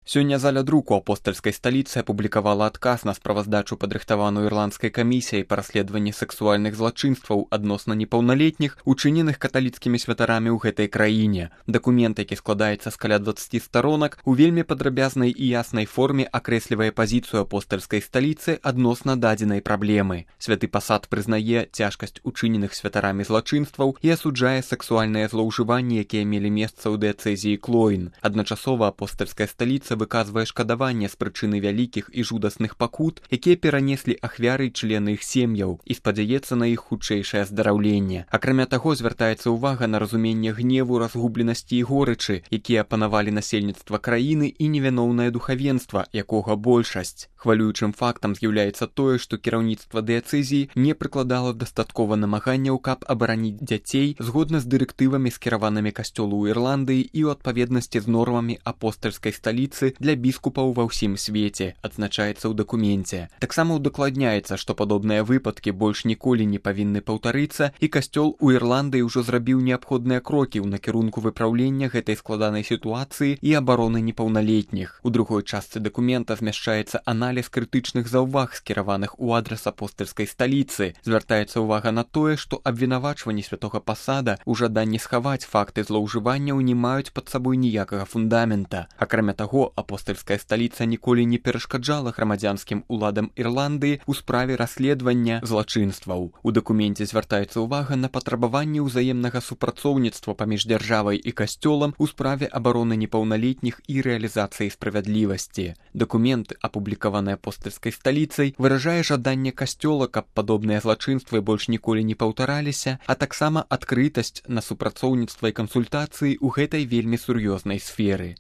Сёння заля друку апостальскай сталіцы апублікавала адказ на справаздачу, падрыхтаваную ірландскай камісіяй па расследаванні сэксуальных злачынстваў адносна непаўналетніх, учыненых каталіцкімі святарамі ў гэтай краіне. Дакумент, які складаецца з каля 20 старонак, у вельмі падрабязнай і яснай форме акрэслівае пазіцыю апостальскай сталіцы адносна дадзенай праблемы. Святы пасад прызнае цяжкасць учыненых святарамі злачынстваў і асуджае сэксуальныя злоўжыванні, якія мелі месца ў дыяцэзіі Клоін. Адначасова апостальская сталіца выказвае шкадаванне з прычыны вялікіх і жудасных пакут, якія перанеслі ахвяры і члены іх сем'яў, і спадзяецца на іх хутчэйшае аздараўленне. Акрамя таго, звяртаецца ўвага на разуменне гневу, разгубленасці і горычы, якія апанавалі насельніцтва краіны і невіноўнае духавенства, якога большасць. Хвалюючым фактам з'яўляецца тое, што кіраўніцтва дыяцэзіі не прыкладала дастаткова намаганняў, каб абараніць дзяцей згодна з дырэктывамі, скіраванымі касцёлу ў Ірландыі і ў адпаведнасці з нормамі апостальскай сталіцы для біскупаў ва ўсім свеце, адзначаецца ў дакуменце. Таксама ўдакладняецца, што падобныя выпадкі больш ніколі не павінны паўтарыцца, і касцёл у Ірландыі ўжо зрабіў неабходныя крокі ў накірунку выпраўлення гэтай складанай сітуацыі і абароны непаўналетніх. У другой частцы дакумента змяшчаецца аналіз крытычных заўваг, скіраваных у адрас апостальскай сталіцы. Звяртаецца ўвага на тое, што абвінавачванні святога пасада ў жаданні схаваць факты злоўжыванняў не маюць пад сабой ніякага фундамента. Акрамя таго, апостальская сталіца ніколі не перашкаджала грамадзянскім уладам Ірландыі ў справе расследавання злачынстваў. У дакуменце звяртаецца ўвага на патрабаванне ўзаемнага супрацоўніцтва паміж дзяржавай і касцёлам у справе абароны непаўналетніх і рэалізацыі справядлівасці. Дакумент, апублікаваны апостальскай сталіцай, выражае жаданне касцёла, каб падобныя злачынствы больш ніколі не паўтараліся, а таксама адкрытасць на супрацоўніцтва і кансультацыі ў гэтай вельмі сур'ёзнай сферы.